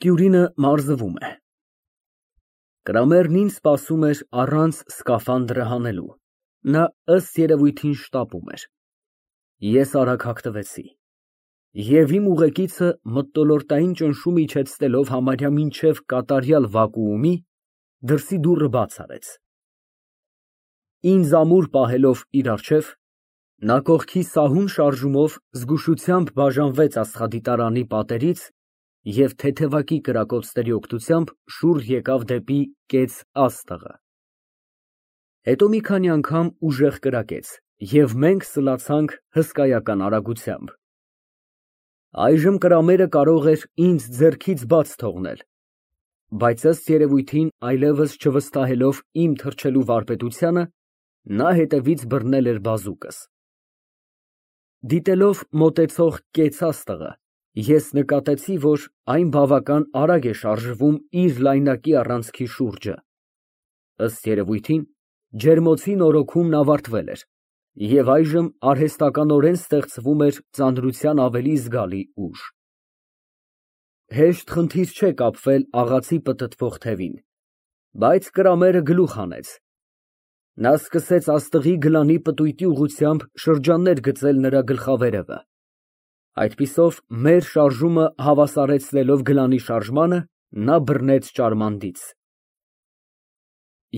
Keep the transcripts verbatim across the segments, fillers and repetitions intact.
Տյուրինը մարզվում է։ Կրամերն ինձ սպասում էր առանց սկաֆանդրը հանելու, նա ըստ երևույթին շտապում էր։ Ես արագ հագնվեցի և իմ ուղեկիցը մթնոլորտային ճնշում իջեցնելով համարյա մինչև կատարյալ վակուումի, դրսի դուռը բաց արեց։ Ինձ ամուր պահելով իր առջև, նա կողքի սահուն շարժումով զգուշությամբ բաժանվեց աստղադիտարանի պատերից և թեթևակի կրակոցների օգնությամբ շուռ եկավ դեպի կեց աստղը։ Հետո մի քանի անգամ ուժեղ կրակեց, և մենք սլացանք հսկայական արագությամբ։ Այժմ կրամերը կարող էր ինձ ձեռքից բաց թողնել, բայց ըստ երևույթին այլևս չվստահելով իմ թռչելու վարպետությանը, նա հետևից բռնել էր բազուկս։ Դիտելով մոտեցող կեց աստղը, ես նկատեցի, որ այն բավական արագ է շարժվում իր լայնակի առանցքի շուրջը։ Ըստ երևույթին, ջերմոցի նորոգումն ավարտվել էր, և այժմ արհեստականորեն ստեղծվում էր ծանրության ավելի զգալի ուժ։ Հեշտ խնդիր չէ կապվել աղացի պտտվող թևին, բայց կրամերը գլուխ հանեց։ Նա սկսեց աստղի գլանի պտույտի ուղղությամբ շրջաններ գծել նրա գլխավերևը։ Այդպիսով մեր շարժումը հավասարեցնելով գլանի շարժմանը, նա բռնեց ճարմանդից։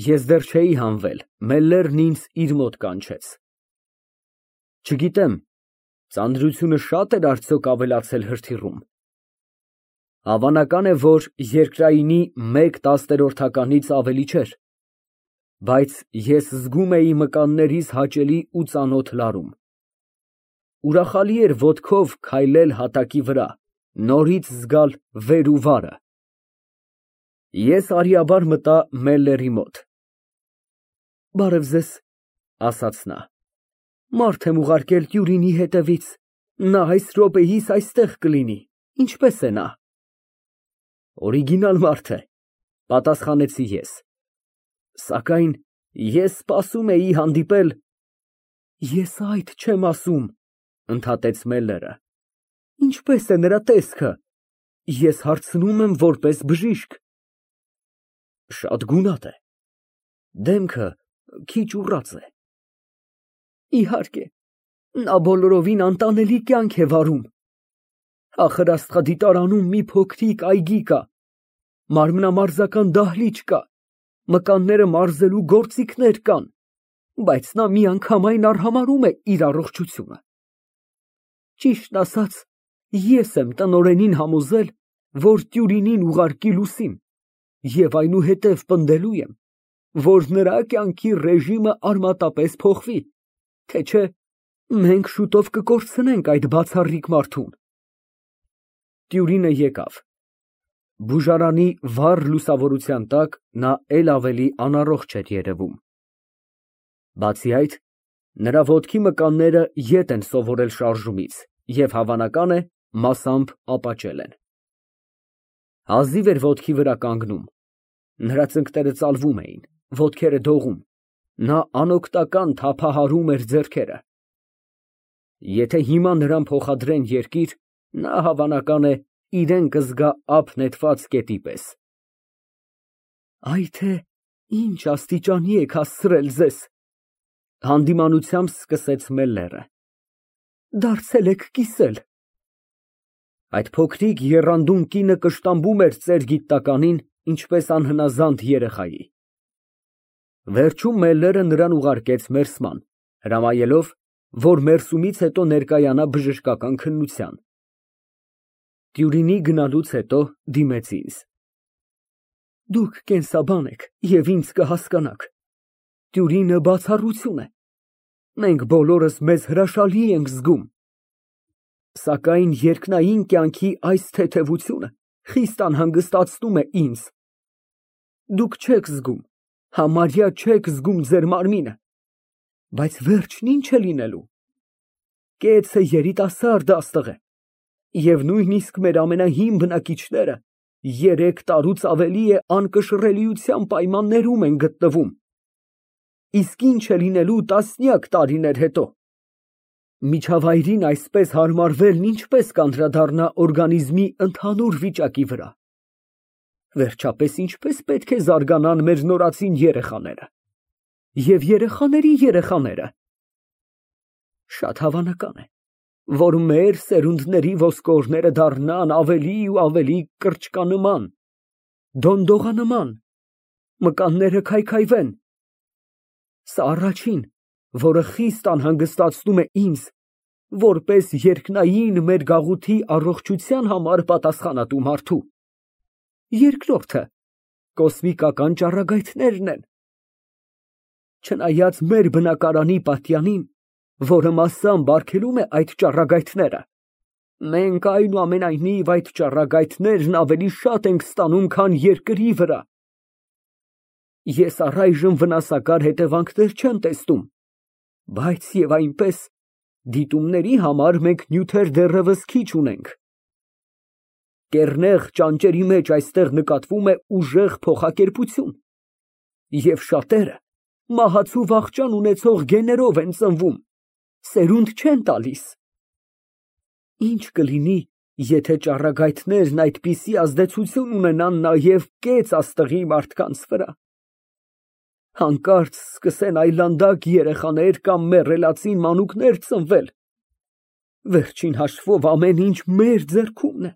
Ես դեռ չէի հանվել, Մելլերն ինձ իր մոտ կանչեց։ Չգիտեմ, ծանրությունը շա՞տ էր արդյոք ավելացել հրթիռում։ Հավանական է, որ երկրայինի մեկ տասներորդականից ավելի չէր, բայց ես զգում էի մկաններիս հաճելի ու ծանոթ լարում։ Ուրախալի էր ոտքով քայլել հատակի վրա, նորից զգալ վեր ու վարը։ Ես արիաբար մտա Մելլերի մոտ։ Բարև ձեզ, ասաց նա, մարդ եմ ուղարկել Տյուրինի հետևից, նա այս րոպեիս այստեղ կլինի, ինչպե՞ս է նա։ Օրիգինալ մարդ է, պատասխանեցի ես, սակայն ես սպասում էի հանդիպել… Ես այդ չեմ ասում, ընդհատեց Մելլերը, ինչպե՞ս է նրա տեսքը, ես հարցնում եմ որպես բժիշկ։ Շատ գունատ է, դեմքը քիչ ուռած է։ Իհարկե, նա բոլորովին անտանելի կյանք է վարում։ Ախր աստղադիտարանում մի փոքրիկ այգի կա, մարմնամարզական դահլիճ կա, մկանները մարզելու գործիքներ կան, բայց նա միանգամայն արհամարհում է իր առողջությունը։ Ճիշտն ասած, ես եմ տնօրենին համոզել, որ Տյուրինին ուղարկի լուսին, և այնուհետև պնդելու եմ, որ նրա կյանքի ռեժիմը արմատապես փոխվի, թե չէ մենք շուտով կկորցնենք այդ բացառիկ մարդուն։ Տյուրինը եկավ։ Բուժարանի վառ լուսավորության տակ նա էլ ավելի անառողջ էր երևում։ Բացի այդ, նրա ոտքի մկանները ետ են սովորել շարժումից և, հավանական է, մասամբ ապաճել են։ Հազիվ էր ոտքի վրա կանգնում, նրա ծնկները ծալվում էին, ոտքերը դողում, նա անօգնական թափահարում էր ձեռքերը։ Եթե հիմա նրան փոխադրեն երկիր, նա, հավանական է, իրեն կզգա ափ նետված կետի պես։ Այ թե ինչ աստիճանի եք հասցրել ձեզ, հանդիմանությամբ սկսեց Մելլերը, դարձել եք կիսել։ Այդ փոքրիկ եռանդուն կինը կշտամբում էր ծեր գիտնականին, ինչպես անհնազանդ երեխայի։ Վերջում Մելլերը նրան ուղարկեց մերսման, հրամայելով, որ մերսումից հետո ներկայանա բժշկական քննության։ Տյուրինի գնալուց հետո դիմեց ինձ. Դուք կենսաբան եք և ինձ կհասկանաք, Տյուրինը բացառություն է, մենք բոլորս մեզ հրաշալի ենք զգում, սակայն երկնային կյանքի այս թեթևությունը խիստ անհանգստացնում է ինձ։ Դուք չեք զգում, համարյա չեք զգում ձեր մարմինը, բայց վերջն ինչ է լինելու։ Կեցը երիտասարդ աստղ է, և նույնիսկ մեր ամենահին բնակիչները երեք տարուց ավելի է անկշռելիության պայմաններում են գտնվում, իսկ ինչ է լինելու տասնյակ տարիներ հետո։ Միջավայրին այսպես հարմարվելն ինչպես կանդրադառնա օրգանիզմի ընդհանուր վիճակի վրա։ Վերջապես ինչպես պետք է զարգանան մեր նորածին երեխաները և երեխաների երեխաները։ Շատ հավանական է, որ մեր սերունդների ոսկորները դառնան ավելի ու ավելի կրճկանման, դոնդողանման, մկանները քայքայվեն։ Սա առաջին, որը խիստ անհանգստացնում է ինձ, որպես երկնային մեր գաղութի առողջության համար պատասխանատու մարդու։ Երկրորդը կոսմիկական ճառագայթներն են։ Չնայած մեր բնակարանի պատյանին, որը մասամբ արգելում է այդ ճառագայթները, մենք այնուամենայնիվ այդ ճառագայթներն ավելի շատ ենք ստանում, քան երկրի վրա։ Ես առայժմ վնասակար հետևանքներ չեմ տեսնում, բայց և այնպես, դիտումների համար մենք նյութեր դեռևս քիչ ունենք։ Կեռնեղ ճանճերի մեջ այստեղ նկատվում է ուժեղ փոխակերպություն, և շատերը մահացու վախճան ունեցող գեներով են ծնվում, սերունդ չեն տալիս։ Ի՞նչ կլինի, եթե ճառագայթներն այդպիսի ազդեցություն ունենան նաև կեց աստղի մարդկանց վրա։ Հանկարծ սկսեն այլանդակ երեխաներ կամ մեռելածին մանուկներ ծնվել։ Վերջին հաշվով ամեն ինչ մեր ձեռքումն է։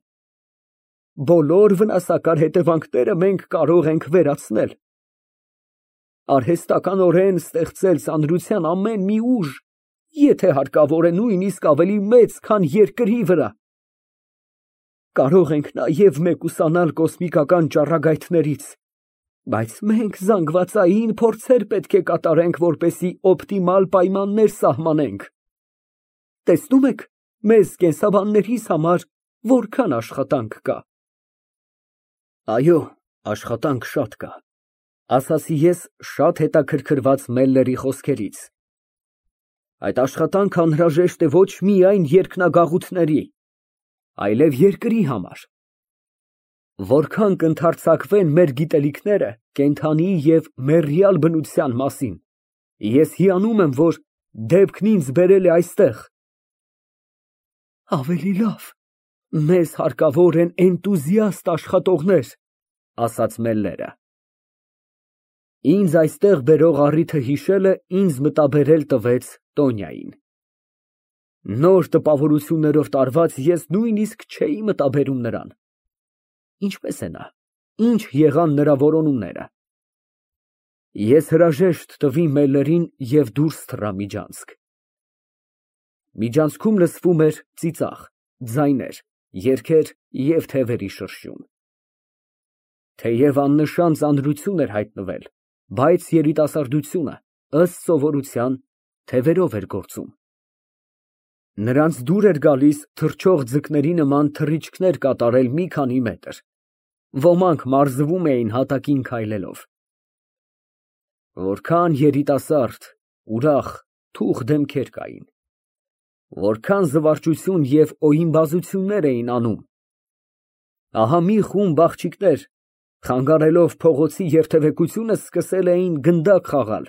Բոլոր վնասակար հետևանքները մենք կարող ենք վերացնել։ Արհեստականորեն ստեղծել ծանրության ամեն մի ուժ, եթե հարկավոր է, նույնիսկ ավելի մեծ, քան երկրի վրա։ Կարող ենք նաև մեկուսանալ կոսմիկական ճառագայթներից, բայց մենք զանգվածային փորձեր պետք է կատարենք, որպեսզի օպտիմալ պայմաններ սահմանենք։ Տեսնում եք, մեզ կենսաբաններիս համար որքան աշխատանք կա։ Այո, աշխատանք շատ կա, ասացի ես շատ հետաքրքրված Մելլերի խոսքերից։ Այդ աշխատանքը անհրաժեշտ է ոչ միայն երկնագաղութների, այլև երկրի համար։ Որքան կընդարձակվեն մեր գիտելիքները կենդանի և մեռյալ բնության մասին, ես հիանում եմ, որ դեպքն ինձ բերել է այստեղ։ Ավելի լավ, մեզ հարկավոր են էնտուզիաստ աշխատողներ, ասաց Մելլերը։ Ինձ այստեղ բերող առիթը հիշելը ինձ մտաբերել տվեց Տոնյային։ Նոր տպավորություններով տարված ես նույնիսկ չէի մտաբերում նրան։ Ինչպե՞ս է նա, ինչ եղան նրա որոնումները։ Ես հրաժեշտ տվի Մելլերին և դուրս թռա միջանցք։ Միջանցքում լսվում էր ծիծաղ, ձայներ, երգեր և թևերի շրշյուն։ Թեև աննշան ծանրություն էր հայտնվել, բայց երիտասարդությունը, ըստ սովորության, թևերով էր գործում։ Նրանց դուր էր գալիս թռչող ձկների նման թռիչքներ կատարել մի քանի մետր, ոմանք մարզվում էին հատակին քայլելով։ Որքան երիտասարդ, ուրախ, թուխ դեմքեր կային, որքան զվարճություն և օյիմբազություններ էին անում։ Ահա մի խումբ աղջիկներ, խանգարելով փողոցի երթևեկությունը, սկսել էին գնդակ խաղալ,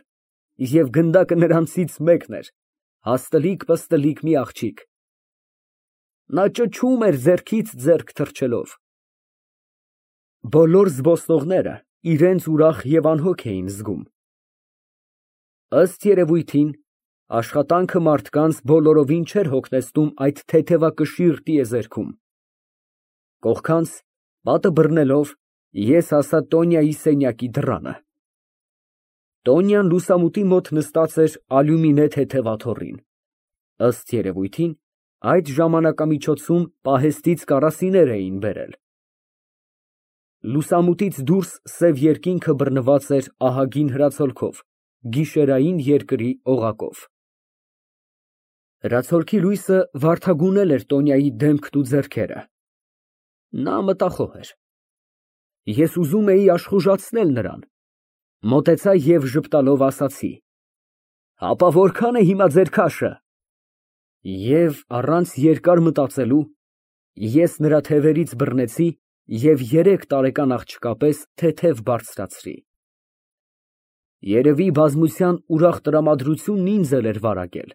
և գնդակը նրանցից մեկն էր, հաստլիկ֊պստլիկ մի աղջիկ։ Նա ճչում էր ձեռքից ձեռք թռչելով։ Բոլոր զբոսնողները իրենց ուրախ և անհոգ էին զգում։ Ըստ երևույթին, աշխատանքը մարդկանց բոլորովին չէր հոգնեցնում այդ թեթևակշիռ տիեզերքում։ Կողքանց, պատը բռնելով, ես հասա Տոնյայի սենյակի դռանը։ Տոնյան լուսամուտի մոտ նստած էր ալյումինե թեթև աթոռին։ Ըստ երևույթին, այդ ժամանակամիջոցում պահեստից կարասիներ էին բերել։ Լուսամուտից դուրս սև երկինքը բռնված էր ահագին հրացոլքով, գիշերային երկրի օղակով։ Հրացոլքի լույսը վարդագունել էր Տոնյայի դեմքն ու ձեռքերը։ Նա մտախոհ էր։ Ես ուզում էի աշխուժացնել նրան, մոտեցա և ժպտալով ասացի. «Հապա որքան է հիմա ձեր քաշը»։ Եվ առանց երկար մտածելու, ես նրա թևերից բռնեցի և երեք տարեկան աղջկա պես թեթև բարձրացրի։ Երևի բազմության ուրախ տրամադրությունն ինձ էլ էր վարակել։